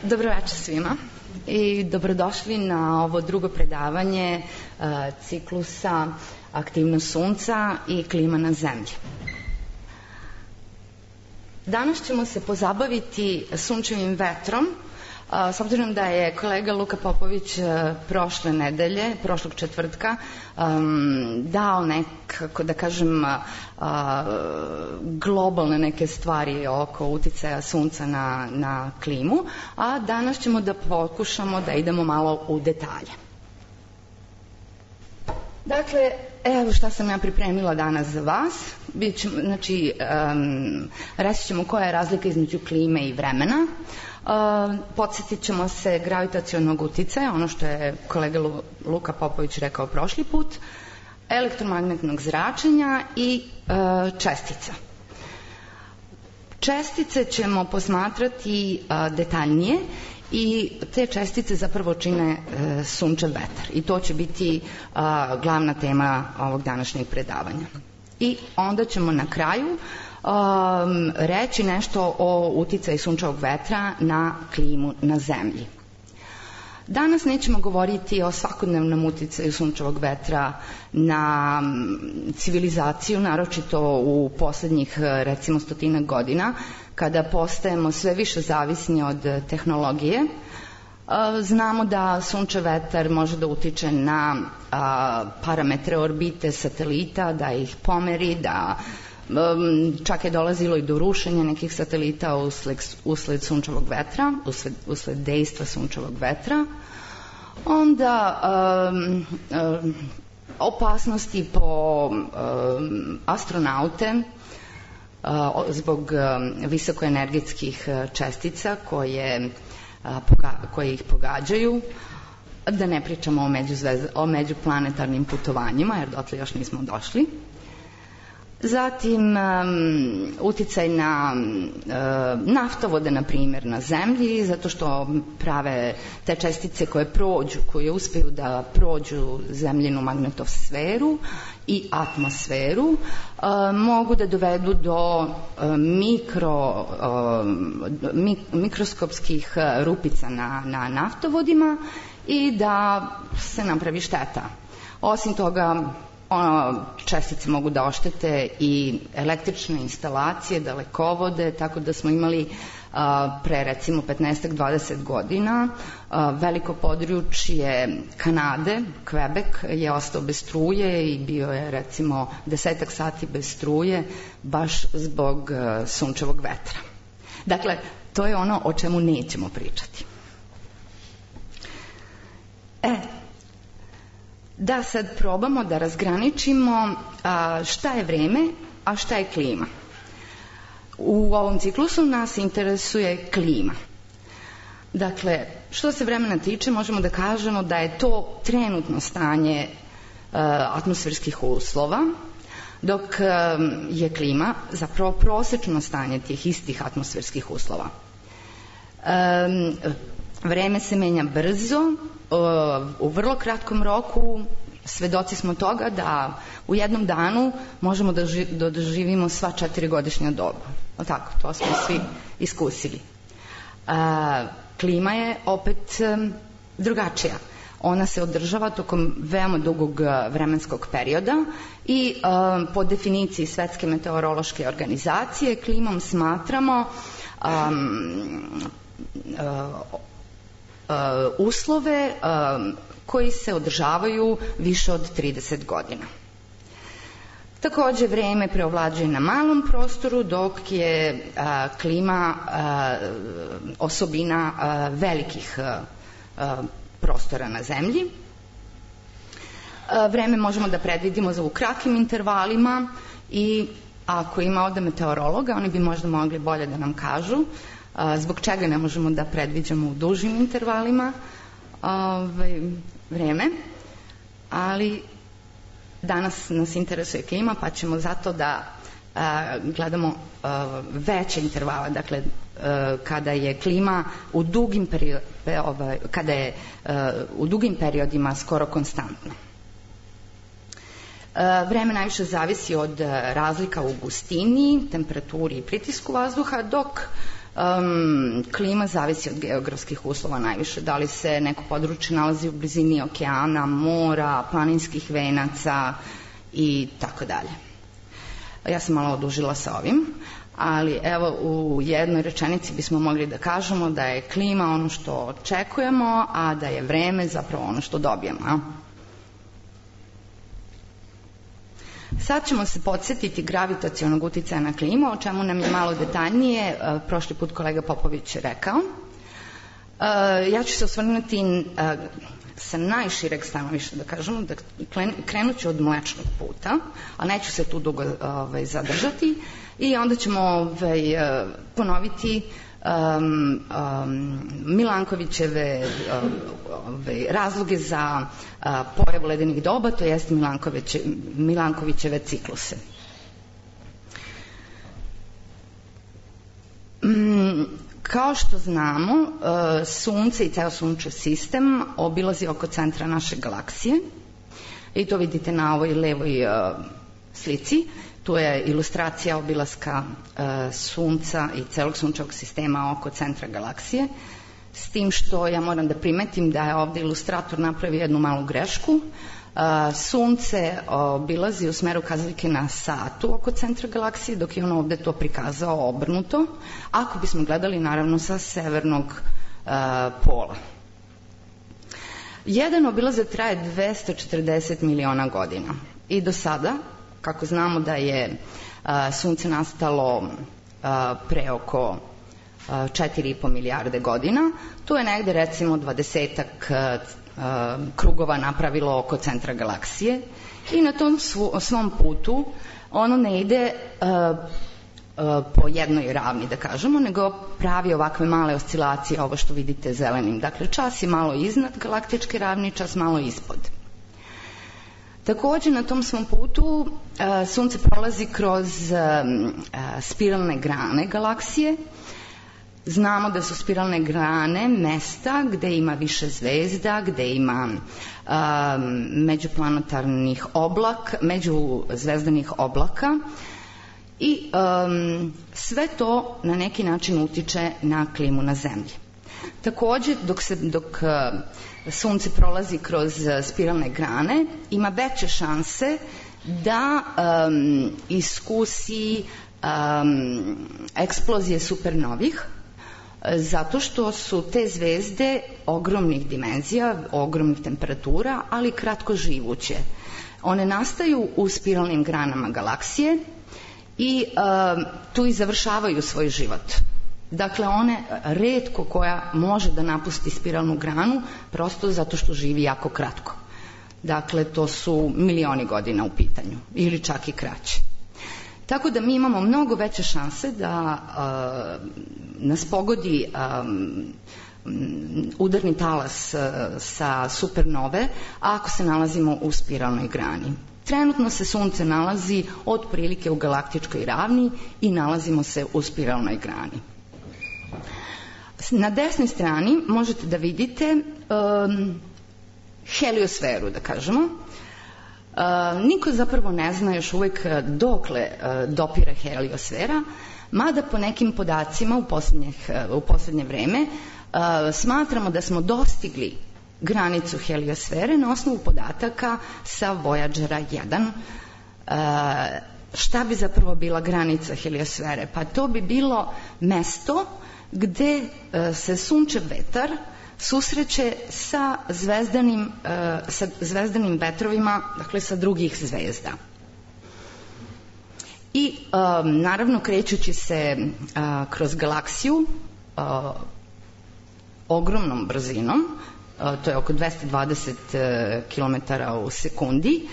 Dobro večer svima i dobrodošli na ovo drugo predavanje ciklusa Aktivnost Sunca i klima na Zemlji. Danas ćemo se pozabaviti sunčevim vetrom, s obzirom da je kolega Luka Popović prošle nedelje, prošlog četvrtka, dao nekako, da kažem, globalne neke stvari oko uticaja sunca na klimu, a danas ćemo da pokušamo da idemo malo u detalje. Dakle, evo šta sam ja pripremila danas za vas. Znači, reći ćemo koja je razlika između klime i vremena. Podsjetit ćemo se gravitacionog uticaja, ono što je kolega Luka Popović rekao prošli put, elektromagnetnog zračenja i čestica. Čestice ćemo posmatrati detaljnije i te čestice zapravo čine sunčev vetar i to će biti glavna tema ovog današnjeg predavanja. I onda ćemo na kraju reći nešto o uticaju sunčevog vetra na klimu na Zemlji. Danas nećemo govoriti o svakodnevnom uticaju sunčevog vetra na civilizaciju, naročito u poslednjih recimo 100 godina, kada postajemo sve više zavisni od tehnologije. Znamo da sunčev vetar može da utiče na parametre orbite satelita, da ih pomeri, da čak je dolazilo i do rušenja nekih satelita usled sunčevog vetra, usled dejstva sunčevog vetra. Onda opasnosti po astronaute zbog visokoenergetskih čestica koje ih pogađaju, da ne pričamo o međuplanetarnim putovanjima, jer dotle još nismo došli. Zatim, uticaj na naftovode, na primjer, na Zemlji, zato što prave te čestice koje uspeju da prođu Zemljinu magnetosferu i atmosferu, mogu da dovedu do mikroskopskih rupica na naftovodima i da se napravi šteta. Osim toga, čestice mogu da oštete i električne instalacije, dalekovode, tako da smo imali pre recimo 15-20 godina veliko područje Kanade, Quebec, je ostao bez struje i bio je recimo 10 sati bez struje baš zbog sunčevog vetra. Dakle, to je ono o čemu nećemo pričati. Da sad probamo da razgraničimo šta je vreme, a šta je klima. U ovom ciklusu nas interesuje klima. Dakle, što se vremena tiče, možemo da kažemo da je to trenutno stanje atmosferskih uslova, dok je klima zapravo prosečno stanje tih istih atmosferskih uslova. Vreme se menja brzo, u vrlo kratkom roku. Svedoci smo toga da u jednom danu možemo da doživimo sva 4-godišnja doba. Tako, to smo svi iskusili. Klima je opet drugačija. Ona se održava tokom veoma dugog vremenskog perioda i po definiciji Svetske meteorološke organizacije klimom smatramo uslove koji se održavaju više od 30 godina. Takođe, vreme preovlađuje na malom prostoru, dok je klima osobina velikih prostora na Zemlji. Vreme možemo da predvidimo u kratkim intervalima i ako ima ovde meteorologa, oni bi možda mogli bolje da nam kažu zbog čega ne možemo da predviđamo u dužim intervalima vreme, ali danas nas interesuje klima, pa ćemo zato da gledamo veće intervale, dakle kada je klima u dugim periodima skoro konstantna. Vreme najviše zavisi od razlika u gustini, temperaturi i pritisku vazduha, dok Klima zavisi od geografskih uslova najviše, da li se neko područje nalazi u blizini okeana, mora, planinskih venaca i tako dalje. Ja sam malo odužila sa ovim, ali evo u jednoj rečenici bismo mogli da kažemo da je klima ono što očekujemo, a da je vreme zapravo ono što dobijemo. Sad ćemo se podsjetiti gravitacionog uticaja na klimu, o čemu nam je malo detaljnije prošli put kolega Popović rekao. Ja ću se osvrnuti sa najšireg stanovišta, da kažemo, da krenut ću od Mlečnog puta, a neću se tu dugo zadržati, i onda ćemo ponoviti Milankovićeve razloge za pojavu ledenih doba, to jest Milankovićeve cikluse. Kao što znamo, Sunce i ceo Sunčev sistem obilazi oko centra naše galaksije, i to vidite na ovoj levoj slici. Tu je ilustracija obilaska Sunca i celog Sunčevog sistema oko centra galaksije, s tim što ja moram da primetim da je ovde ilustrator napravio jednu malu grešku. Sunce obilazi u smeru kazaljke na satu oko centra galaksije, dok je on ovde to prikazao obrnuto, ako bismo gledali naravno sa severnog pola. Jedan obilazak traje 240 miliona godina i do sada, kako znamo da je Sunce nastalo pre oko 4,5 milijarde godina, to je negde recimo 20-ak krugova napravilo oko centra galaksije, i na tom svom putu ono ne ide po jednoj ravni, da kažemo, nego pravi ovakve male oscilacije, ovo što vidite zelenim. Dakle, čas je malo iznad galaktičke ravni, čas malo ispod. Takođe, na tom svom putu Sunce prolazi kroz spiralne grane galaksije. Znamo da su spiralne grane mesta gde ima više zvezda, gde ima međuplanetarnih oblaka, međuzvezdanih oblaka, i sve to na neki način utiče na klimu na Zemlji. Takođe, dok Sunce prolazi kroz spiralne grane, ima veće šanse da iskusi eksplozije supernovih, zato što su te zvezde ogromnih dimenzija, ogromnih temperatura, ali kratko živuće. One nastaju u spiralnim granama galaksije i tu i završavaju svoj život. Dakle, one retko koja može da napusti spiralnu granu, prosto zato što živi jako kratko. Dakle, to su milioni godina u pitanju, ili čak i kraće. Tako da mi imamo mnogo veće šanse da nas pogodi udarni talas sa supernove ako se nalazimo u spiralnoj grani. Trenutno se Sunce nalazi otprilike u galaktičkoj ravni i nalazimo se u spiralnoj grani. Na desnoj strani možete da vidite heliosferu, da kažemo. Niko zapravo ne zna još uvek dokle dopire heliosfera, mada po nekim podacima u poslednje vreme smatramo da smo dostigli granicu heliosfere na osnovu podataka sa Voyagera 1. Šta bi zapravo bila granica heliosfere? Pa to bi bilo mesto gde se sunčev vetar susreće sa zvezdanim vetrovima, dakle sa drugih zvezda. I naravno, krećući se kroz galaksiju ogromnom brzinom, to je oko 220 km u sekundi,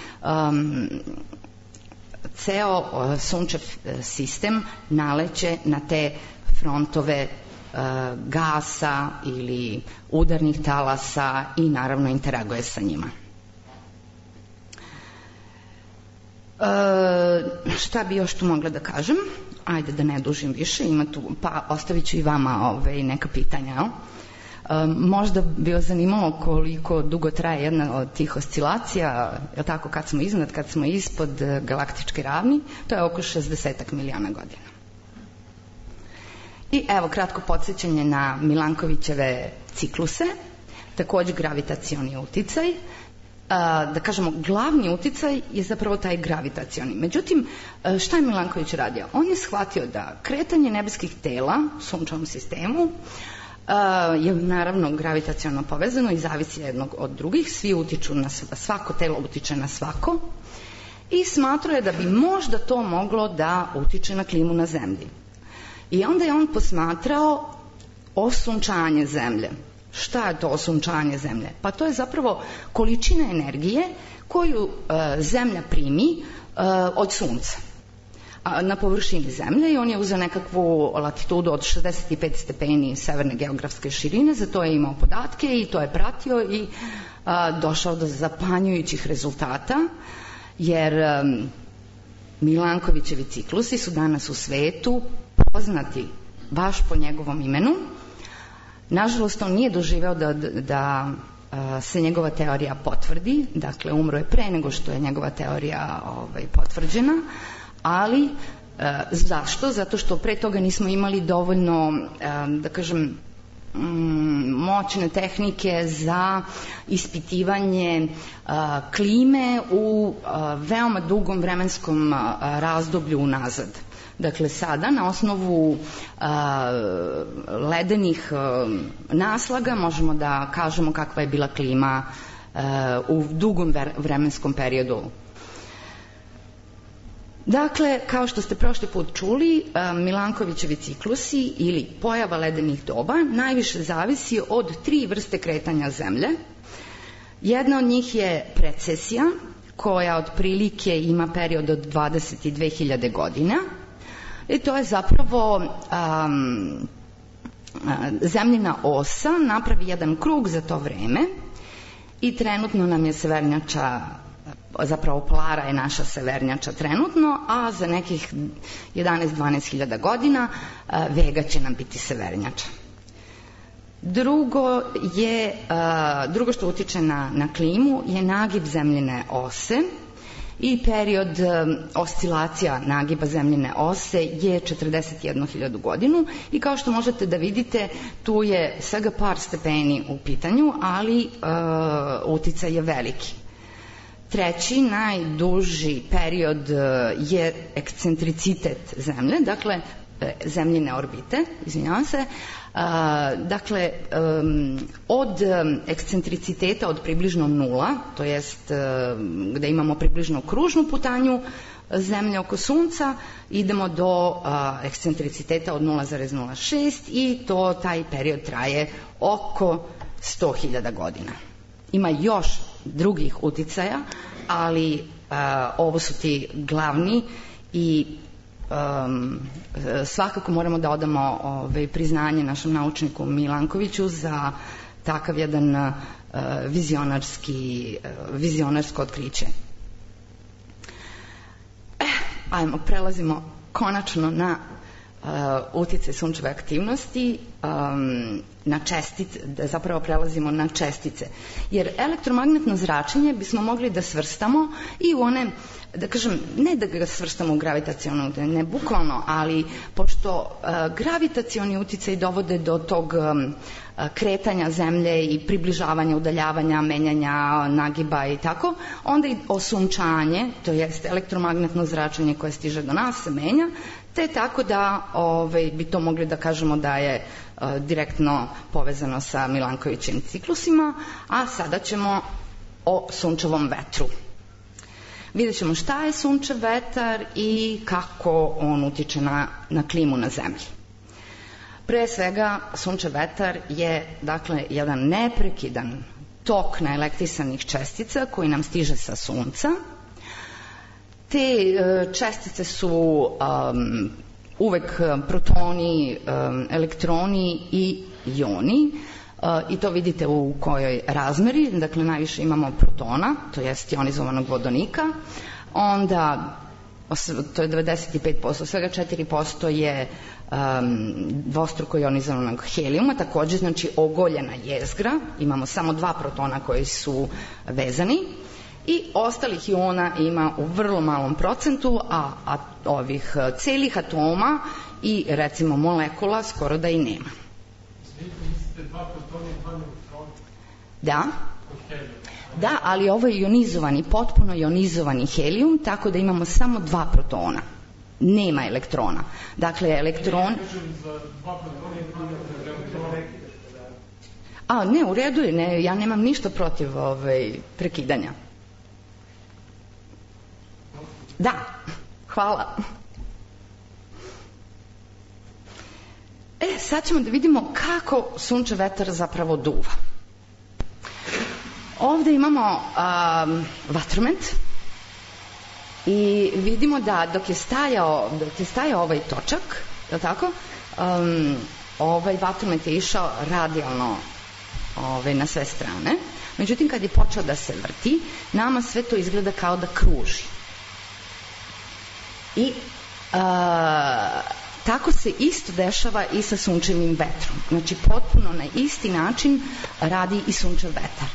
ceo sunčev sistem naleće na te frontove gasa ili udarnih talasa i naravno interaguje sa njima. Šta bi još tu mogla da kažem? Ajde da ne dužim više, ima tu, pa ostavit ću i vama neka pitanja. Možda bi vas zanimalo koliko dugo traje jedna od tih oscilacija, je tako, kad smo iznad, kad smo ispod galaktičke ravni, to je oko 60 miliona godina. I evo kratko podsjećanje na Milankovićeve cikluse, takođe gravitacioni uticaj. Da kažemo, glavni uticaj je zapravo taj gravitacioni. Međutim, šta je Milanković radio? On je shvatio da kretanje nebeskih tela u sunčevom sistemu je naravno gravitaciono povezano i zavisi jednog od drugih, svi utiču na svako telo utiče na svako i smatrao je da bi možda to moglo da utiče na klimu na zemlji. I onda je on posmatrao osunčanje zemlje. Šta je to osunčanje zemlje? Pa to je zapravo količina energije koju zemlja primi od sunca na površini zemlje i on je uzeo nekakvu latitudu od 65 stepeni severne geografske širine, za to je imao podatke i to je pratio i došao do zapanjujućih rezultata, jer Milankovićevi ciklusi su danas u svetu poznati baš po njegovom imenu. Nažalost, on nije doživeo da se njegova teorija potvrdi, dakle umro je pre nego što je njegova teorija potvrđena, ali zašto? Zato što pre toga nismo imali dovoljno, da kažem, moćne tehnike za ispitivanje klime u veoma dugom vremenskom razdoblju unazad. Dakle, sada na osnovu ledenih naslaga možemo da kažemo kakva je bila klima u dugom vremenskom periodu. Dakle, kao što ste prošli put čuli, Milankovićevi ciklusi ili pojava ledenih doba najviše zavisi od 3 vrste kretanja zemlje. Jedna od njih je precesija, koja otprilike ima period od 22.000 godina. I to je zapravo zemljina osa napravi jedan krug za to vreme i trenutno nam je severnjača, zapravo Polara je naša severnjača trenutno, a za nekih 11-12.000 godina Vega će nam biti severnjača. Drugo što utiče na klimu je nagib zemljine ose i period oscilacija nagiba zemljine ose je 41.000 godinu i kao što možete da vidite, tu je svega par stepeni u pitanju, ali uticaj je veliki. Treći, najduži period je ekscentricitet zemlje, dakle zemljine orbite, izvinjavam se. Dakle, od ekscentriciteta od približno 0, to jest gde imamo približno kružnu putanju zemlje oko Sunca, idemo do ekscentriciteta od 0,06 i taj period traje oko 100.000 godina. Ima još drugih uticaja, ali ovo su ti glavni i svakako moramo da odamo priznanje našem naučniku Milankoviću za takav jedan vizionarsko otkriće. Prelazimo konačno na uticaj sunčeve aktivnosti, na čestice, zapravo prelazimo na čestice. Jer elektromagnetno zračenje bismo mogli da svrstamo i u one, da kažem, ne da ga svrstamo u gravitaciono, ne bukvalno, ali pošto gravitacioni uticaj dovode do tog kretanja zemlje i približavanja, udaljavanja, menjanja, nagiba i tako, onda i osunčanje, to jest elektromagnetno zračenje koje stiže do nas se menja, te tako da bi to mogli da kažemo da je direktno povezano sa Milankovićevim ciklusima, a sada ćemo o sunčevom vetru. Vidjet ćemo šta je sunčev vetar i kako on utiče na klimu na zemlji. Pre svega, sunčev vetar je, dakle, jedan neprekidan tok naelektrisanih čestica koji nam stiže sa Sunca. Te čestice su uvek protoni, elektroni i joni, i to vidite u kojoj razmeri. Dakle, najviše imamo protona, to jest ionizovanog vodonika, onda to je 95%, svega 4% je dvostruko ionizovanog helijuma, takođe znači ogoljena jezgra, imamo samo 2 protona koji su vezani i ostalih iona ima u vrlo malom procentu, a ovih celih atoma i recimo molekula skoro da i nema. Mislite 2 protona i 2 neutrona? Da, ali ovo je ionizovani, potpuno ionizovani helijum, tako da imamo samo 2 protona. Nema elektrona. Dakle, elektron... Ne, u redu je, ja nemam ništa protiv prekidanja. Da, hvala. Sad ćemo da vidimo kako sunčev vetar zapravo duva. Ovde imamo vatromet i vidimo da dok je stajao ovaj točak, je li tako, ovaj vatromet je išao radijalno na sve strane. Međutim, kad je počeo da se vrti, nama sve to izgleda kao da kruži. I tako se isto dešava i sa sunčevim vetrom. Znači, potpuno na isti način radi i sunčev vetar.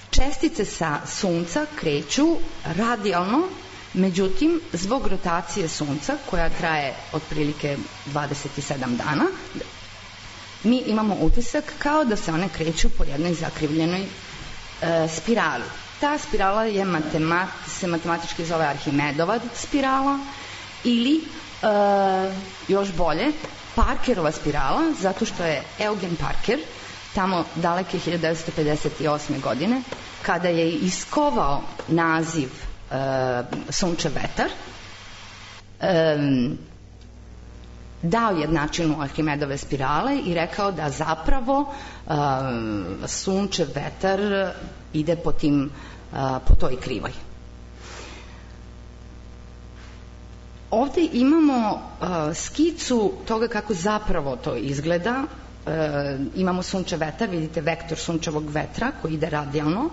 Čestice sa sunca kreću radijalno, međutim, zbog rotacije sunca, koja traje otprilike 27 dana, mi imamo utisak kao da se one kreću po jednoj zakrivljenoj spirali. Ta spirala se matematički zove Arhimedova spirala ili, još bolje, Parkerova spirala, zato što je Eugen Parker tamo daleke 1958. godine, kada je iskovao naziv sunčev vetar, dao jednačinu Arhimedove spirale i rekao da zapravo sunčev vetar ide po toj krivoj. Ovde imamo skicu toga kako zapravo to izgleda. Imamo sunčev vetar, vidite vektor sunčevog vetra koji ide radijalno.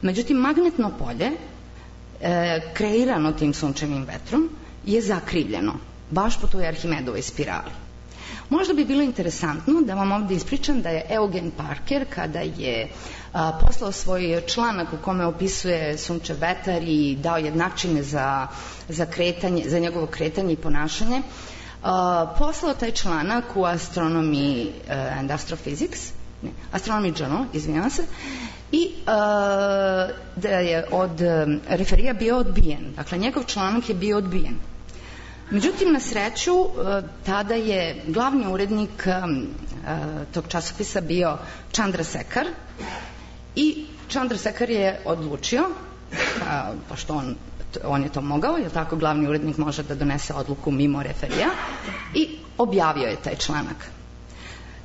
Međutim, magnetno polje kreirano tim sunčevim vetrom je zakrivljeno, baš po toj Arhimedovoj spirali. Možda bi bilo interesantno da vam ovde ispričam da je Eugen Parker, kada je poslao svoj članak u kome opisuje sunčev vetar i dao jednačine za njegovo kretanje i ponašanje, poslao taj članak u Astronomy and Astrophysics, Astronomy Journal, izvinjavam se, i da je od referija bio odbijen. Dakle, njegov članak je bio odbijen. Međutim, na sreću, tada je glavni urednik tog časopisa bio Chandrasekhar i Chandrasekhar je odlučio, pošto on je to mogao, jer tako glavni urednik može da donese odluku mimo referija, i objavio je taj članak.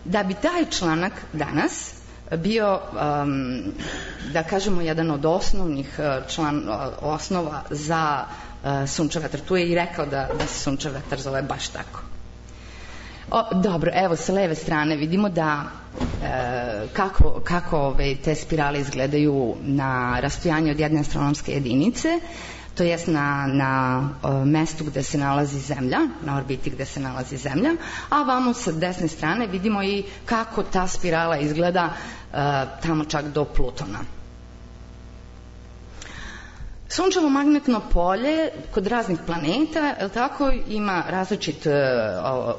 Da bi taj članak danas bio, da kažemo, jedan od osnovnih osnova za sunčev vetar. Tu je i rekao da se sunčev vetar zove baš tako. Dobro, evo sa leve strane vidimo da kako te spirale izgledaju na rastojanju od jedne astronomske jedinice, to jest na mestu gde se nalazi Zemlja, na orbiti gde se nalazi Zemlja, a vamo sa desne strane vidimo i kako ta spirala izgleda tamo čak do Plutona. Sunčevo magnetno polje kod raznih planeta, ima različit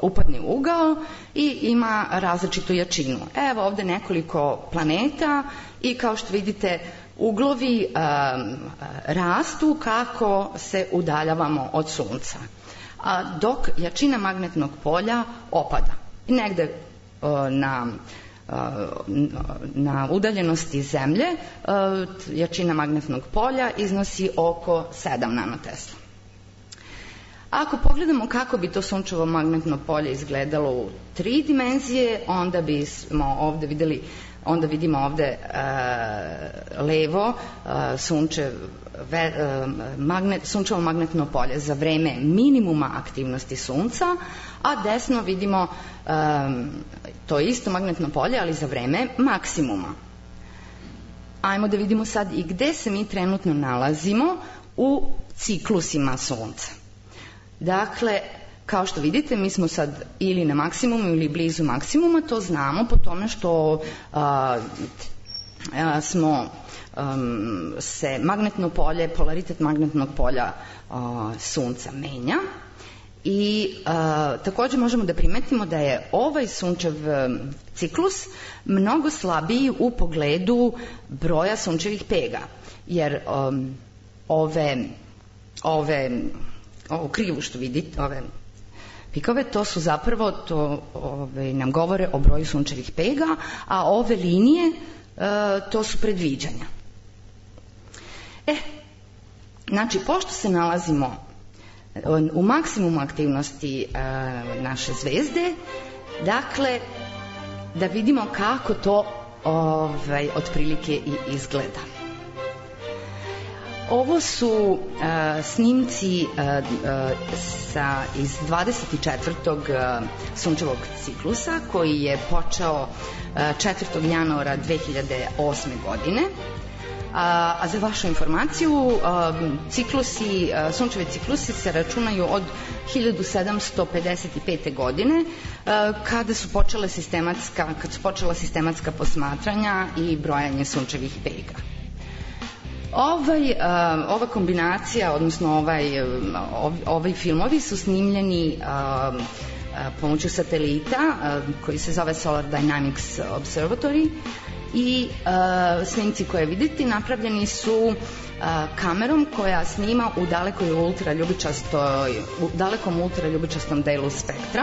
upadni ugao i ima različitu jačinu. Evo ovde nekoliko planeta i kao što vidite uglovi rastu kako se udaljavamo od Sunca, dok jačina magnetnog polja opada. I negde na udaljenosti Zemlje jačina magnetnog polja iznosi oko 7 nanotesla. Ako pogledamo kako bi to sunčevo magnetno polje izgledalo u 3 dimenzije, onda bismo ovde videli, onda vidimo ovde levo sunčevo magnetno polje za vreme minimuma aktivnosti Sunca, a desno vidimo to isto magnetno polje, ali za vreme maksimuma. Ajmo da vidimo sad i gde se mi trenutno nalazimo u ciklusima Sunca. Dakle, kao što vidite, mi smo sad ili na maksimumu ili blizu maksimuma, to znamo po tome što se magnetno polje, polaritet magnetnog polja Sunca menja i takođe možemo da primetimo da je ovaj sunčev ciklus mnogo slabiji u pogledu broja sunčevih pega, jer ovu krivu što vidite, ove pikove, to su zapravo, nam govore o broju sunčevih pega, a ove linije, to su predviđanja. Znači, pošto se nalazimo u maksimumu aktivnosti naše zvezde, dakle, da vidimo kako to otprilike i izgleda. Ovo su snimci iz 24. sunčevog ciklusa koji je počeo 4. januara 2008. godine. A za vašu informaciju, sunčevi ciklusi se računaju od 1755. godine, kada su počela sistematska posmatranja i brojanje sunčevih pega. Ova kombinacija, odnosno ovi filmovi su snimljeni pomoću satelita koji se zove Solar Dynamics Observatory i snimci koje vidite napravljeni su kamerom koja snima u dalekom ultraljubičastom delu spektra.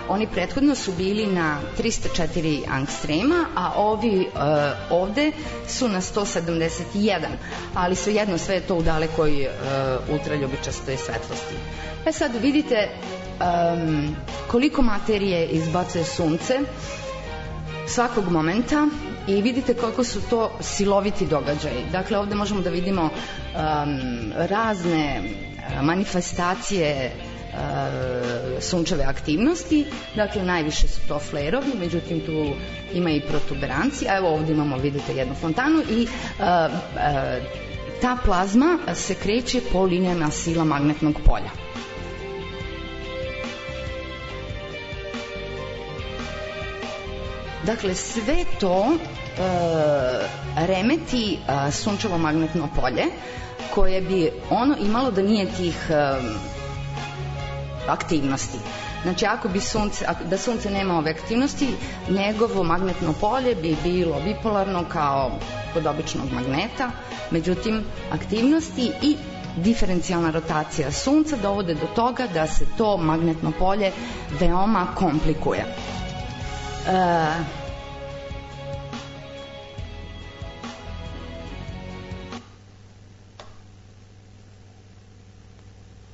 Oni prethodno su bili na 304 angstrema, a ovi ovde su na 171, ali svejedno sve je to u dalekoj ultraljubičastoj svetlosti. Sad vidite koliko materije izbacuje sunce svakog momenta i vidite koliko su to siloviti događaji. Dakle, ovde možemo da vidimo razne manifestacije sunčeve aktivnosti, dakle najviše su to flerovi, međutim tu ima i protuberanci, a evo ovde imamo, vidite, jednu fontanu i ta plazma se kreće po linijama sila magnetnog polja. Dakle, sve to remeti sunčevo magnetno polje koje bi ono imalo da nije tih aktivnosti. Znači, da sunce nema ove aktivnosti, njegovo magnetno polje bi bilo bipolarno kao kod običnog magneta, međutim, aktivnosti i diferencijalna rotacija sunca dovode do toga da se to magnetno polje veoma komplikuje.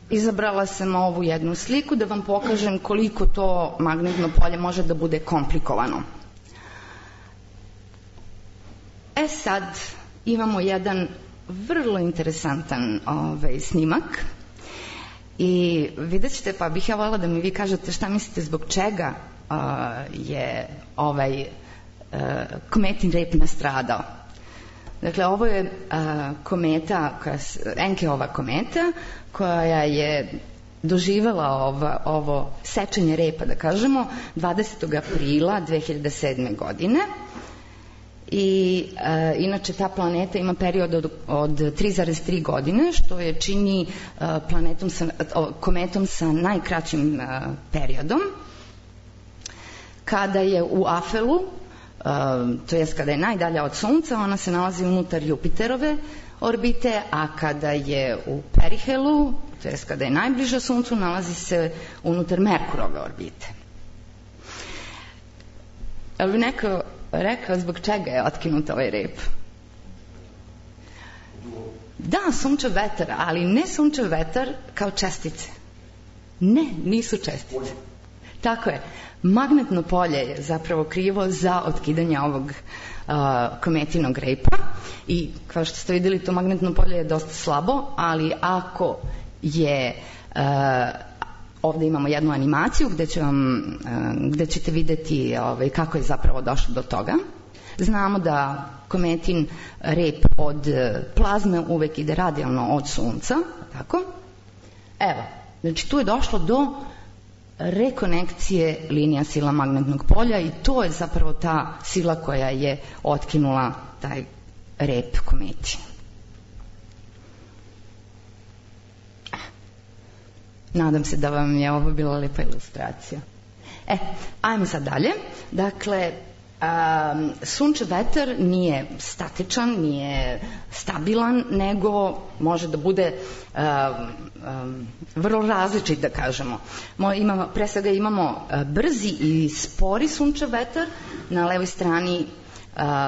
Izabrala sam ovu jednu sliku da vam pokažem koliko to magnetno polje može da bude komplikovano. Sad imamo jedan vrlo interesantan snimak i vidjet ćete, pa bih ja voljela da mi vi kažete šta mislite zbog čega je ovaj kometin rep nastradao. Dakle, ovo je kometa, Enkeova kometa, koja je doživela ovo sečenje repa, da kažemo, 20. aprila 2007. godine. I inače ta planeta ima period od 3,3 godine, što je čini kometom sa najkraćim periodom. Kada je u afelu, to jest kada je najdalja od Sunca, ona se nalazi unutar Jupiterove orbite, a kada je u perihelu, to jest kada je najbliža Suncu, nalazi se unutar Merkurove orbite. Ali bi neko rekao zbog čega je otkinut ovaj rep? Da, sunčev vetar, ali ne sunčev vetar kao čestice. Ne, nisu čestice. Tako je. Magnetno polje je zapravo krivo za otkidanje ovog kometinog repa i kao što ste videli, to magnetno polje je dosta slabo, ali ako je ovde imamo jednu animaciju gde ćete videti kako je zapravo došlo do toga. Znamo da kometin rep od plazme uvek ide radijalno od Sunca, tako? Evo, znači tu je došlo do rekonekcije linija sila magnetnog polja i to je zapravo ta sila koja je otkinula taj rep kometi. Nadam se da vam je ovo bila lepa ilustracija. Ajmo sad dalje. Dakle, sunčev vetar nije statičan, nije stabilan, nego može da bude vrlo različit, da kažemo. Pre svega imamo brzi i spori sunčev vetar. Na levoj strani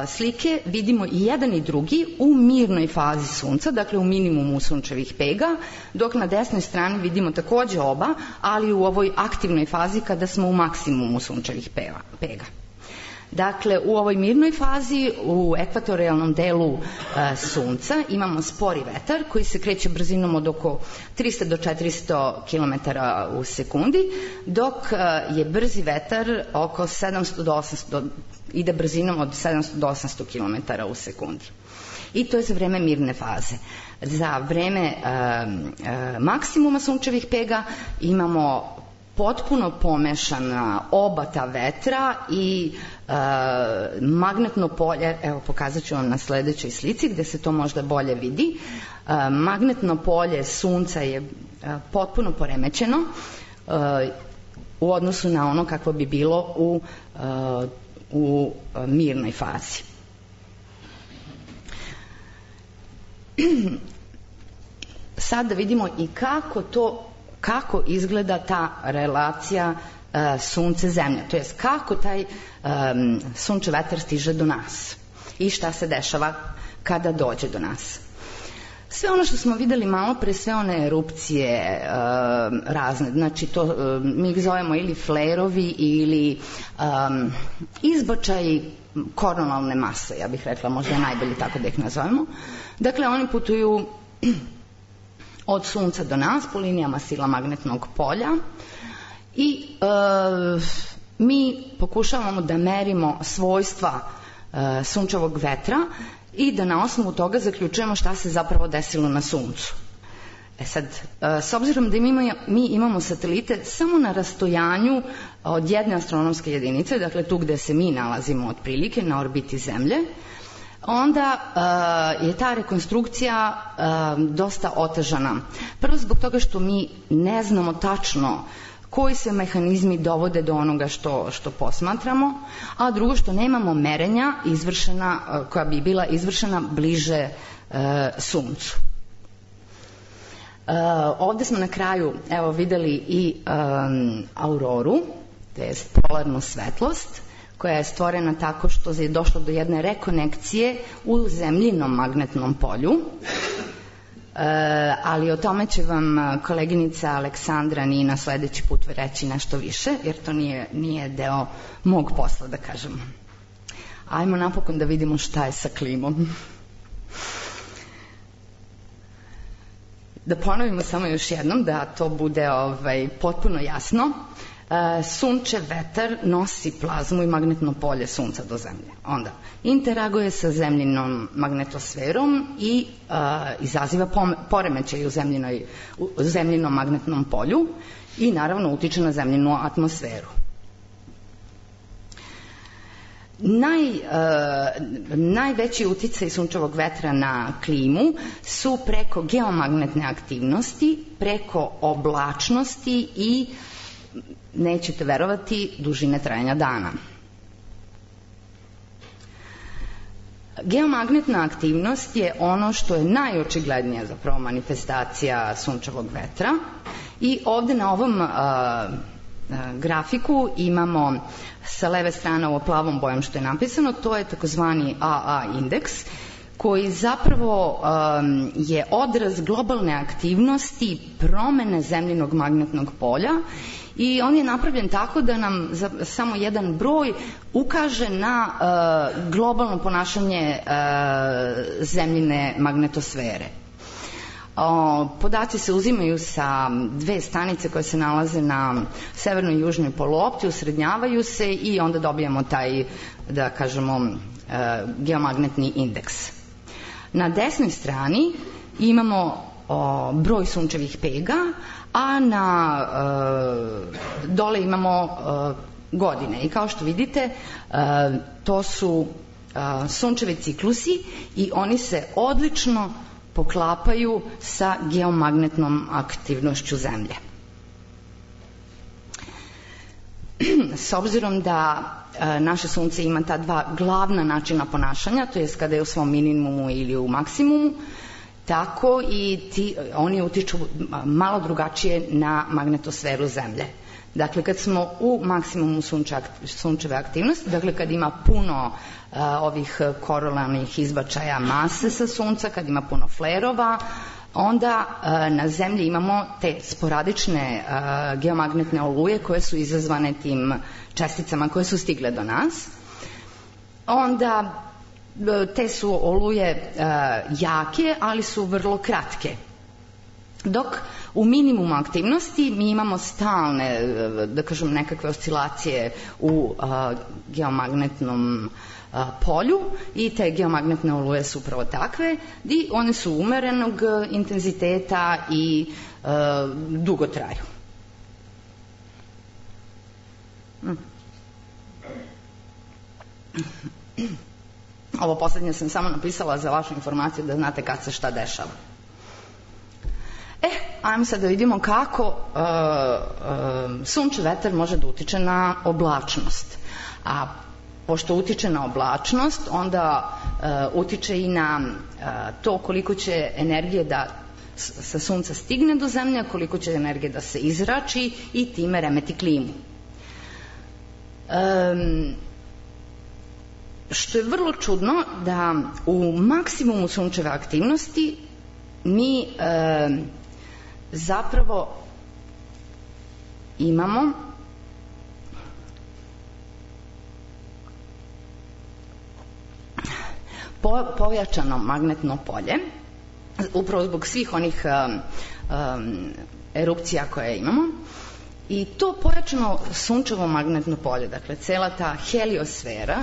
slike vidimo i jedan i drugi u mirnoj fazi sunca, dakle u minimumu sunčevih pega, dok na desnoj strani vidimo takođe oba, ali u ovoj aktivnoj fazi kada smo u maksimumu sunčevih pega. Dakle, u ovoj mirnoj fazi, u ekvatorijalnom delu sunca, imamo spori vetar koji se kreće brzinom od oko 300 do 400 km u sekundi, dok je brzi vetar oko 700 do 800, ide brzinom od 700 do 800 km u sekundi. I to je za vreme mirne faze. Za vreme maksimuma sunčevih pega imamo potpuno pomešana oba ta vetra i magnetno polje, evo pokazat ću vam na sledećoj slici gde se to možda bolje vidi. Magnetno polje sunca je potpuno poremećeno u odnosu na ono kakvo bi bilo u mirnoj fazi. Sad da vidimo i kako izgleda ta relacija sunce-zemlja, to jest kako taj sunčev vetar stiže do nas i šta se dešava kada dođe do nas. Sve ono što smo videli malo pre, sve one erupcije razne, znači to mi ih zovemo ili flerovi ili izbačaj koronalne mase, ja bih rekla, možda je najbolje tako da ih nazovemo. Dakle, oni putuju od sunca do nas po linijama sila magnetnog polja i mi pokušavamo da merimo svojstva sunčevog vetra i da na osnovu toga zaključujemo šta se zapravo desilo na suncu. Sad, s obzirom da mi imamo satelite samo na rastojanju od jedne astronomske jedinice, dakle tu gde se mi nalazimo otprilike na orbiti Zemlje, onda je ta rekonstrukcija dosta otežana. Prvo zbog toga što mi ne znamo tačno koji se mehanizmi dovode do onoga što posmatramo, a drugo što nemamo merenja koja bi bila izvršena bliže suncu. Ovde smo na kraju videli i auroru, to je polarnu svetlost, koja je stvorena tako što je došlo do jedne rekonekcije u zemljinom magnetnom polju, ali o tome će vam koleginica Aleksandra Nina sledeći put reći nešto više, jer to nije deo mog posla, da kažemo. Ajmo napokon da vidimo šta je sa klimom. Da ponovimo samo još jednom, da to bude potpuno jasno. Sunčev vetar nosi plazmu i magnetno polje sunca do Zemlje. Onda interaguje sa zemljinom magnetosferom i izaziva poremećaj u zemljinom magnetnom polju i naravno utiče na zemljinu atmosferu. Najveći uticaj sunčevog vetra na klimu su preko geomagnetne aktivnosti, preko oblačnosti i, nećete verovati, dužine trajanja dana. Geomagnetna aktivnost je ono što je najočiglednija zapravo manifestacija sunčevog vetra i ovde na ovom grafiku imamo sa leve strane ovo plavom bojom što je napisano, to je takozvani AA indeks, koji zapravo je odraz globalne aktivnosti promene zemljinog magnetnog polja i on je napravljen tako da nam samo jedan broj ukaže na globalno ponašanje zemljine magnetosfere. Podaci se uzimaju sa dve stanice koje se nalaze na severnoj i južnoj poluopti, usrednjavaju se i onda dobijamo taj, da kažemo, geomagnetni indeks. Na desnoj strani imamo broj sunčevih pega, a dole imamo godine. I kao što vidite, to su sunčevi ciklusi i oni se odlično poklapaju sa geomagnetnom aktivnošću Zemlje. s obzirom da naše sunce ima ta dva glavna načina ponašanja, to je kada je u svom minimumu ili u maksimumu, tako i oni utiču malo drugačije na magnetosferu Zemlje. Dakle, kad smo u maksimumu sunčeve aktivnosti, dakle kad ima puno ovih korolarnih izbačaja mase sa sunca, kad ima puno flerova, onda na Zemlji imamo te sporadične geomagnetne oluje koje su izazvane tim česticama koje su stigle do nas. Onda te su oluje jake, ali su vrlo kratke. Dok u minimumu aktivnosti mi imamo stalne, da kažem, nekakve oscilacije u geomagnetnom polju i te geomagnetne oluje su upravo takve i one su umerenog intenziteta i dugo traju. Ovo poslednje sam samo napisala za vašu informaciju da znate kad se šta dešava. Ajmo sad da vidimo kako sunčev vetar može da utiče na oblačnost. A pošto utiče na oblačnost, onda utiče i na to koliko će energije da sa sunca stigne do Zemlje, koliko će energije da se izrači i time remeti klimu. Što je vrlo čudno da u maksimumu sunčeve aktivnosti mi zapravo imamo pojačano magnetno polje, upravo zbog svih onih erupcija koje imamo, i to pojačano sunčevo magnetno polje, dakle cela ta heliosfera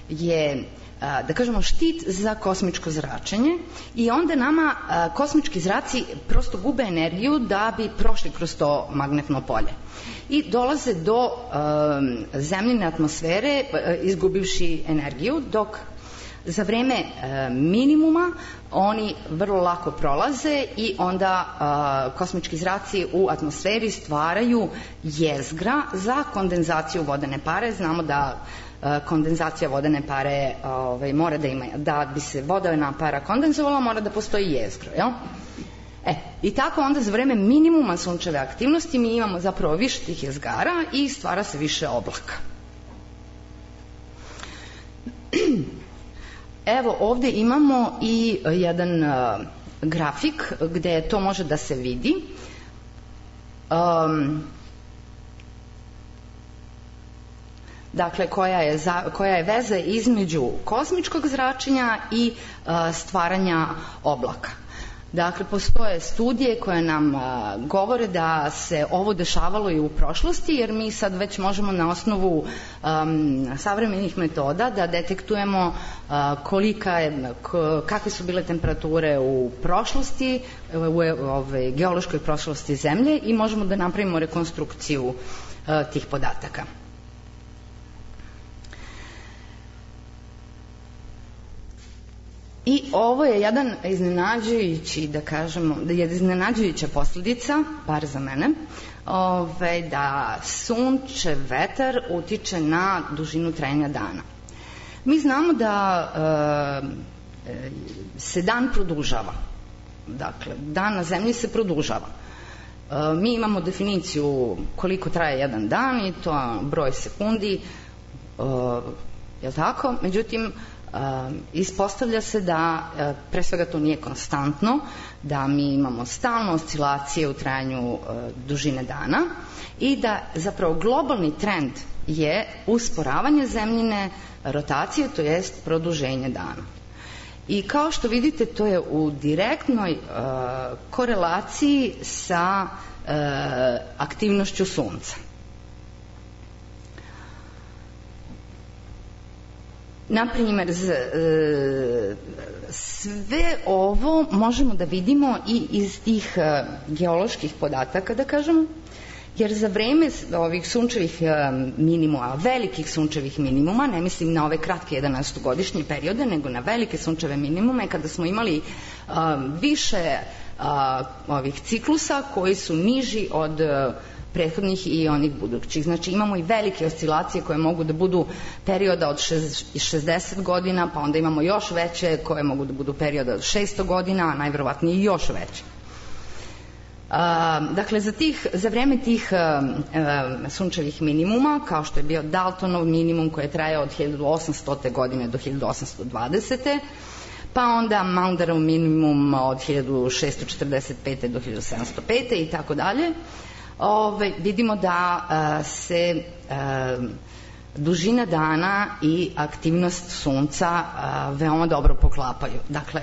je, da kažemo, štit za kosmičko zračenje i onda nama kosmički zraci prosto gube energiju da bi prošli kroz to magnetno polje i dolaze do zemljine atmosfere izgubivši energiju, dok za vreme minimuma oni vrlo lako prolaze i onda kosmički zraci u atmosferi stvaraju jezgra za kondenzaciju vodene pare. Znamo da kondenzacija vodene pare mora da ima, da bi se vodena para kondenzovala, mora da postoji jezgro, jel? I tako onda za vreme minimuma sunčeve aktivnosti mi imamo zapravo više tih jezgara i stvara se više oblaka. Evo ovde imamo i jedan grafik gde to može da se vidi. Dakle, koja je veza između kosmičkog zračenja i stvaranja oblaka. Dakle, postoje studije koje nam govore da se ovo dešavalo i u prošlosti, jer mi sad već možemo na osnovu savremenih metoda da detektujemo kakve su bile temperature u prošlosti, u geološkoj prošlosti Zemlje, i možemo da napravimo rekonstrukciju tih podataka. I ovo je jedan iznenađujući, da kažemo, iznenađujuća posledica, bar za mene, da sunčev vetar utiče na dužinu trajanja dana. Mi znamo da se dan produžava. Dakle, dan na Zemlji se produžava. Mi imamo definiciju koliko traje jedan dan i to broj sekundi, je li tako? Međutim, ispostavlja se da pre svega to nije konstantno, da mi imamo stalno oscilacije u trajanju dužine dana i da zapravo globalni trend je usporavanje Zemljine rotacije, to jest produženje dana. I kao što vidite, to je u direktnoj korelaciji sa aktivnošću Sunca. Naprimjer, sve ovo možemo da vidimo i iz tih geoloških podataka, da kažemo, jer za vreme ovih sunčevih minimuma, velikih sunčevih minimuma, ne mislim na ove kratke 11-godišnje periode, nego na velike sunčeve minimume, kada smo imali više ovih ciklusa koji su niži od prethodnih i onih budućih. Znači imamo i velike oscilacije koje mogu da budu perioda od 60 godina, pa onda imamo još veće koje mogu da budu perioda od 600 godina, a najverovatnije još veće. Dakle, za vreme tih sunčevih minimuma, kao što je bio Daltonov minimum koji je trajao od 1800. godine do 1820. pa onda Maunderov minimum od 1645. do 1705. i tako dalje, vidimo da se dužina dana i aktivnost sunca veoma dobro poklapaju. Dakle,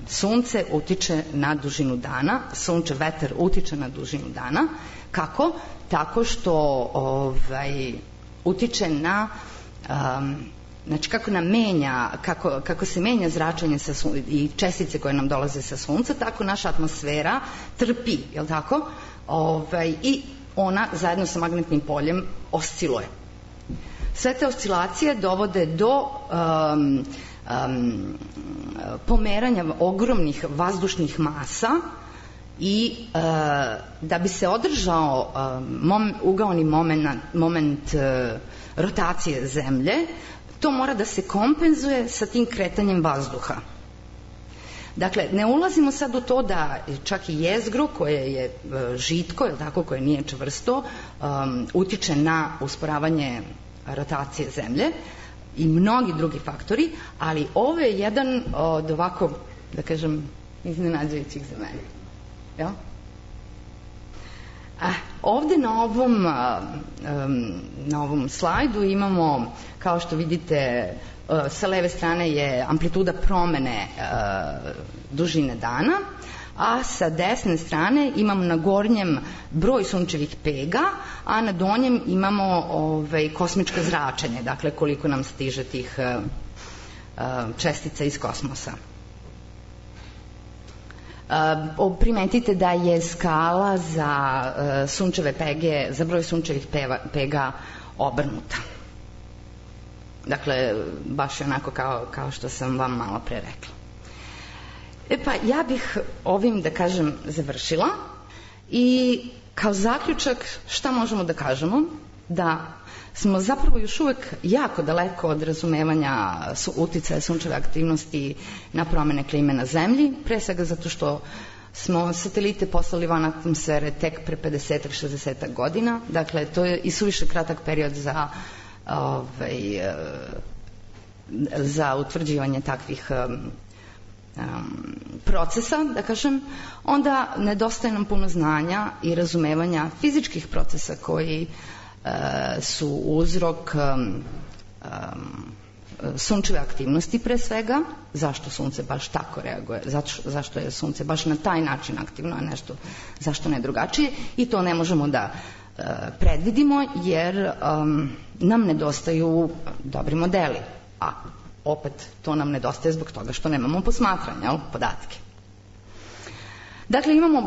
sunce utiče na dužinu dana, sunčev vetar utiče na dužinu dana. Kako? Tako što utiče na znači kako nam menja, kako se menja zračenje i čestice koje nam dolaze sa sunca, tako naša atmosfera trpi, je li tako? I ona zajedno sa magnetnim poljem osciluje. Sve te oscilacije dovode do pomeranja ogromnih vazdušnih masa i da bi se održao ugaoni moment rotacije Zemlje, to mora da se kompenzuje sa tim kretanjem vazduha. Dakle, ne ulazimo sad u to da čak i jezgro koje je žitko, je tako, koje nije čvrsto, utiče na usporavanje rotacije Zemlje i mnogi drugi faktori, ali ovo je jedan od ovako, da kažem, iznenađujućih za mene. Jel? Ovde na ovom slajdu imamo, kao što vidite, sa leve strane je amplituda promene dužine dana, a sa desne strane imamo na gornjem broj sunčevih pega, a na donjem imamo kosmičko zračenje, dakle koliko nam stiže tih čestica iz kosmosa. Primetite da je skala za sunčeve pege, za broj sunčevih pega obrnuta. Dakle, baš je onako kao što sam vam malo pre rekla. Pa ja bih ovim, da kažem, završila i kao zaključak šta možemo da kažemo? Da smo zapravo još uvek jako daleko od razumevanja uticaja sunčeve aktivnosti na promene klime na Zemlji, pre svega zato što smo satelite poslali van atmosfere tek pre 50-60 godina, dakle to je i suviše kratak period za utvrđivanje takvih procesa, da kažem. Onda nedostaje nam puno znanja i razumevanja fizičkih procesa koji su uzrok sunčeve aktivnosti pre svega, zašto sunce baš tako reaguje, zašto je sunce baš na taj način aktivno, a nešto zašto ne drugačije, i to ne možemo da predvidimo jer nam nedostaju dobri modeli, a opet to nam nedostaje zbog toga što nemamo posmatranja, podatke. Dakle, imamo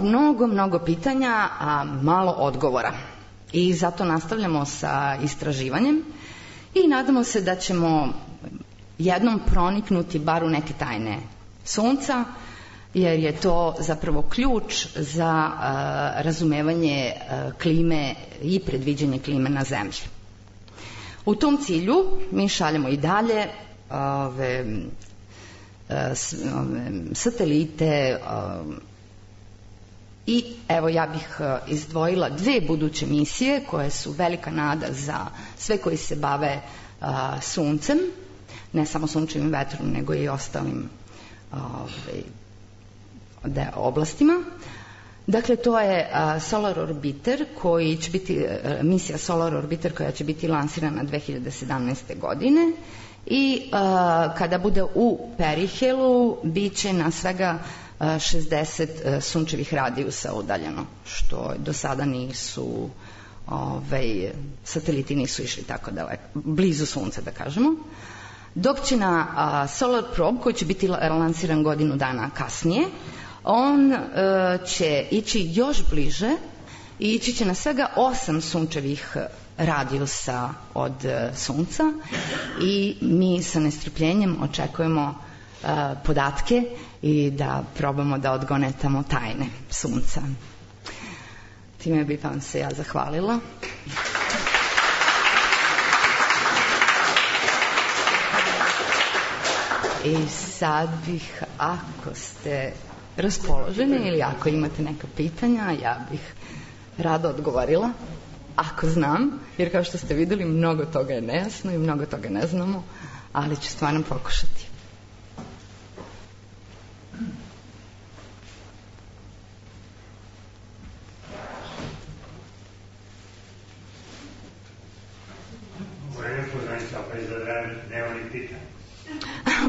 mnogo pitanja, a malo odgovora. I zato nastavljamo sa istraživanjem i nadamo se da ćemo jednom proniknuti bar u neke tajne sunca, jer je to zapravo ključ za razumevanje klime i predviđanje klime na Zemlji. U tom cilju mi šaljemo i dalje satelite i evo ja bih izdvojila 2 buduće misije koje su velika nada za sve koji se bave suncem, ne samo sunčevim vetrom nego i ostalim oblastima. Dakle, to je Solar Orbiter koji će biti, misija Solar Orbiter koja će biti lansirana 2017. godine i kada bude u Perihelu bit će na svega 60 sunčevih radijusa udaljeno, što do sada nisu, sateliti nisu išli tako daleko, blizu sunca da kažemo. Dok će na Solar Probe, koji će biti lansiran godinu dana kasnije, on će ići još bliže i ići će na svega 8 sunčevih radijusa od sunca i mi sa nestrpljenjem očekujemo podatke i da probamo da odgonetamo tajne sunca. Time bih vam se ja zahvalila. I sad bih, ako ste raspoloženi ili ako imate neka pitanja, ja bih rado odgovorila, ako znam, jer kao što ste videli, mnogo toga je nejasno i mnogo toga ne znamo, ali ću stvarno pokušati.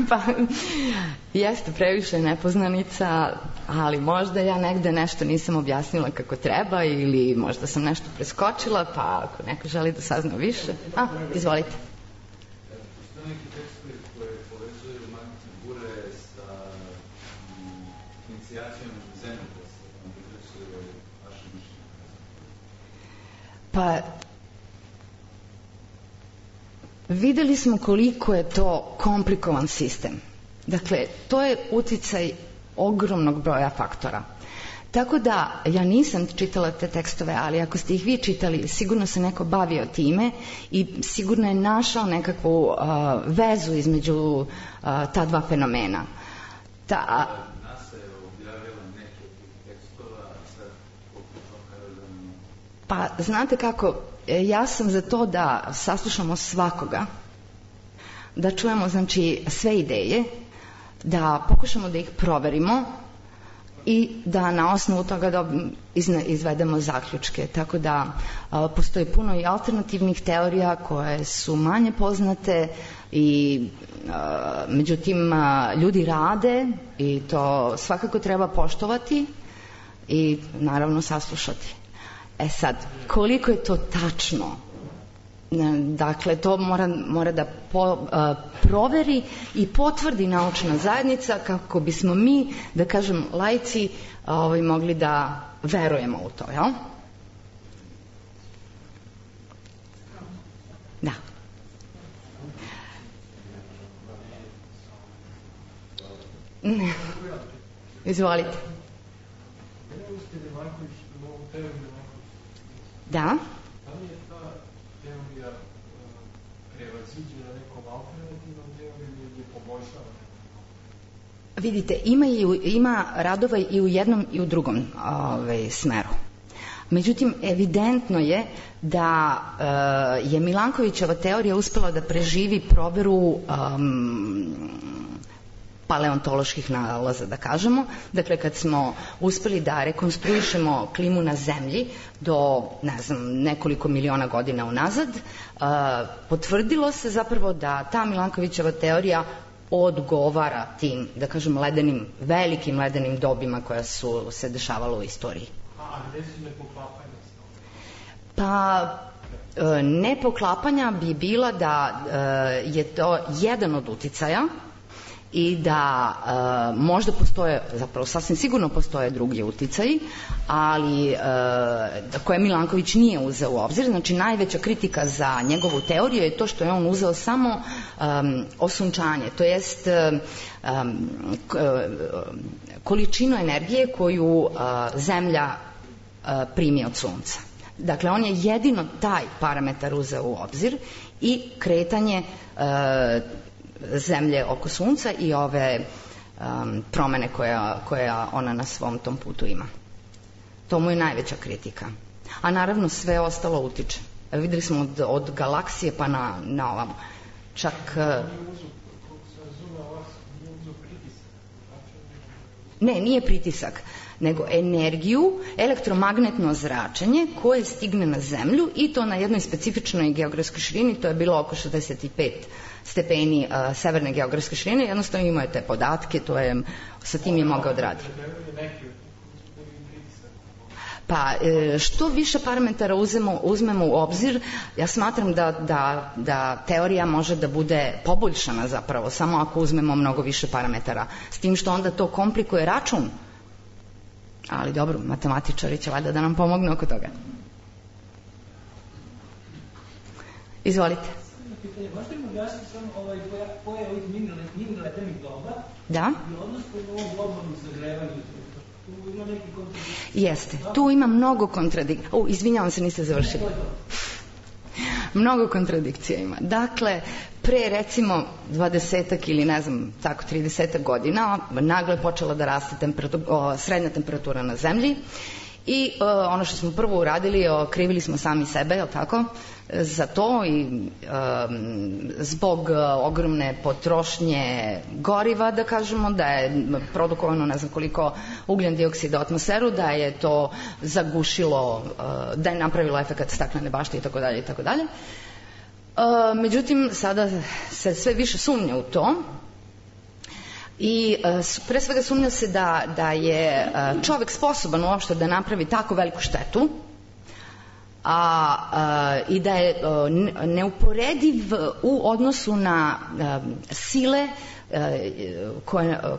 Pa, jeste previše nepoznanica, ali možda ja negde nešto nisam objasnila kako treba ili možda sam nešto preskočila, pa ako neko želi da sazna više, izvolite. Postoje neki tekstovi koje povezuju magnet bure sa inicijacijom zemljotresa, gde su vaše mišljenje? Pa, videli smo koliko je to komplikovan sistem. Dakle, to je uticaj ogromnog broja faktora. Tako da, ja nisam čitala te tekstove, ali ako ste ih vi čitali, sigurno se neko bavio time i sigurno je našao nekakvu vezu između ta dva fenomena. NASA je objavila neke od tih tekstova, a sad pa, znate kako, ja sam za to da saslušamo svakoga, da čujemo, znači, sve ideje, da pokušamo da ih proverimo i da na osnovu toga izvedemo zaključke. Tako da postoji puno i alternativnih teorija koje su manje poznate i međutim ljudi rade i to svakako treba poštovati i naravno saslušati. Sad, koliko je to tačno? Dakle, to mora da proveri i potvrdi naučna zajednica kako bismo mi, da kažem, laici, mogli da verujemo u to, jel? Da. Izvolite. Da. Da li je ta teorija prevaziđena nekom alternativnom teorijom ili poboljšava? Vidite, ima radova i u jednom i u drugom smeru. Međutim, evidentno je da je Milankovićeva teorija uspela da preživi proveru paleontoloških nalaza, da kažemo. Dakle, kad smo uspeli da rekonstruišemo klimu na Zemlji do, ne znam, nekoliko miliona godina unazad, potvrdilo se zapravo da ta Milankovićeva teorija odgovara tim, da kažem, velikim ledenim dobima koja su se dešavala u istoriji. A gde su nepoklapanja? Pa, nepoklapanja bi bila da je to jedan od uticaja i da možda postoje, zapravo sasvim sigurno postoje drugi uticaji, ali koje Milanković nije uzeo u obzir. Znači, najveća kritika za njegovu teoriju je to što je on uzeo samo osunčanje, to jest količinu energije koju Zemlja primi od Sunca. Dakle, on je jedino taj parametar uzeo u obzir i kretanje Zemlje oko Sunca i ove promene koja ona na svom tom putu ima. To mu je najveća kritika. A naravno sve ostalo utiče. Videli smo od galaksije pa na ovamo. Čak... Ne, nije pritisak, nego energiju, elektromagnetno zračenje koje stigne na Zemlju i to na jednoj specifičnoj geografskoj širini, to je bilo oko 65 stepeni severne geografske širine, jednostavno imao je te podatke, sa tim je mogao odraditi. Pa, što više parametara uzmemo u obzir, ja smatram da teorija može da bude poboljšana zapravo, samo ako uzmemo mnogo više parametara, s tim što onda to komplikuje račun. Ali dobro, matematičari će valjda da nam pomognu oko toga. Izvolite. Možete li objasniti samo pojave ovih mini ledenih doba i odnos prema ovom globalnom zagrevanju Tu ima neki kontradikcija. Jeste, tu ima mnogo kontradikcija. Izvinjavam se, niste završili. Mnogo kontradikcija ima. Dakle, pre recimo 20-ak ili ne znam, tako 30-ak godina, naglo je počela da raste srednja temperatura na zemlji i ono što smo prvo uradili, krivili smo sami sebe, je li tako, za to i zbog ogromne potrošnje goriva, da kažemo, da je produkovano ne znam koliko ugljen dioksida u atmosferu, da je to zagušilo, da je napravilo efekat staklene bašte i tako dalje i tako dalje. Međutim, sada se sve više sumnja u to i pre svega sumnja se da je čovek sposoban uopšte da napravi tako veliku štetu i da je neuporediv u odnosu na sile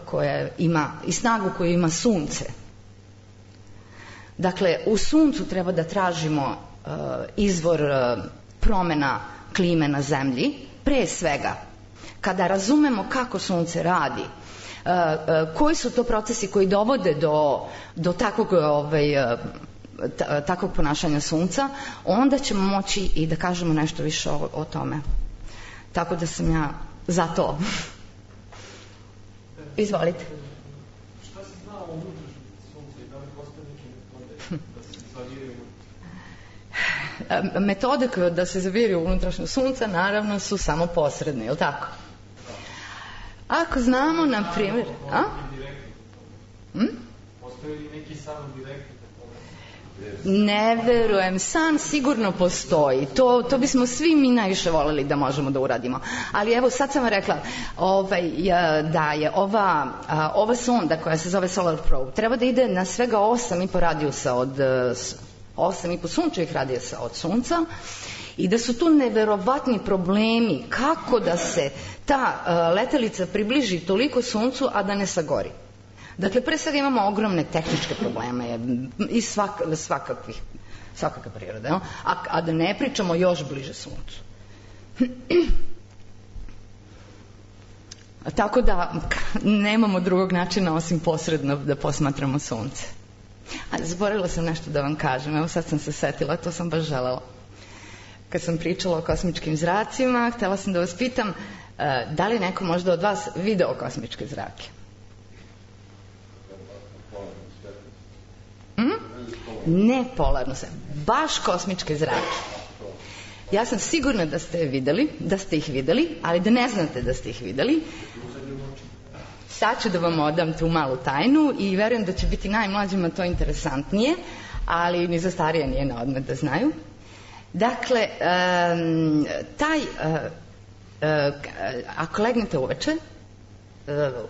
koje ima i snagu koju ima sunce. Dakle, u suncu treba da tražimo izvor promena klime na zemlji, pre svega kada razumemo kako sunce radi, koji su to procesi koji dovode do takvog ponašanja sunca, onda ćemo moći i da kažemo nešto više o tome. Tako da sam ja za to. Izvolite. Šta se zna o unutrašnjosti sunca i da li postoje neke metode da se zaviraju? Metode da se zaviraju unutrašnjost sunca naravno su samo posredne, je li tako? Ako znamo, na primjer... Postoje li neki samo direktni? Ne verujem, san sigurno postoji, to bismo svi mi najviše voljeli da možemo da uradimo, ali evo sad sam vam rekla da je ova sonda koja se zove Solar Probe treba da ide na svega 8,5 radijusa od 8,5 sunčevih radijusa od sunca i da su tu neverovatni problemi kako da se ta letelica približi toliko suncu, a da ne sagori. Dakle, pre svega imamo ogromne tehničke probleme i svakakve prirode, a da ne pričamo još bliže suncu. Tako da nemamo drugog načina osim posredno da posmatramo sunce. Zaboravila sam nešto da vam kažem, evo sad sam se setila, to sam baš želela. Kad sam pričala o kosmičkim zracima, htela sam da vas pitam da li neko možda od vas video kosmičke zrake? Ne polarno sve, baš kosmičke zrake. Ja sam sigurna da ste ih videli, ali da ne znate da ste ih videli. Sad ću da vam odam tu malu tajnu i verujem da će biti najmlađima to interesantnije, ali ni za starije nije na odmet da znaju. Dakle, ako legnete uveče,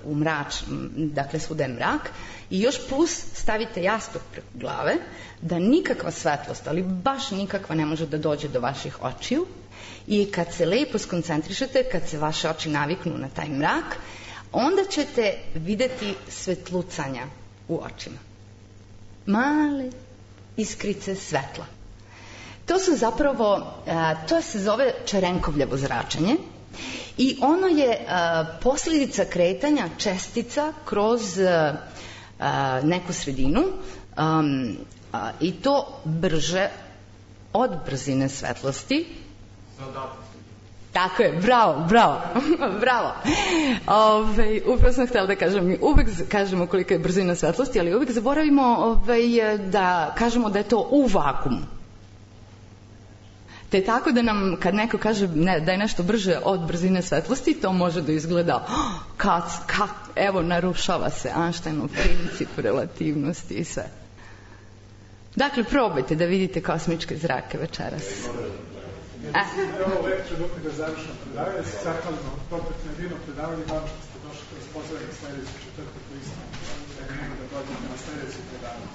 u mrač, dakle svuda je mrak, i još plus stavite jastuk preko glave, da nikakva svetlost, ali baš nikakva ne može da dođe do vaših očiju i kad se lepo skoncentrišete, kad se vaše oči naviknu na taj mrak, onda ćete videti svetlucanja u očima. Male iskrice svetla. To su zapravo, to se zove Čerenkovljevo zračenje i ono je posljedica kretanja čestica kroz neku sredinu i to brže od brzine svetlosti. Tako je, bravo, bravo. Upravo sam htjela da kažem, mi uvek kažemo kolika je brzina svetlosti, ali uvek zaboravimo da kažemo da je to u vakumu. Te tako da nam, kad neko kaže da je nešto brže od brzine svetlosti, to može da izgleda, evo, narušava se Einsteinov princip relativnosti i sve. Dakle, probajte da vidite kosmičke zrake večeras. Ovo lekciju dok da završeno predavanje, se zahvalimo Propetu na divno predavanje, vam što ste došli kroz pozornik sljedeći četvrtak u Istinu, da ne mogu da dođete na sljedeći predavanje.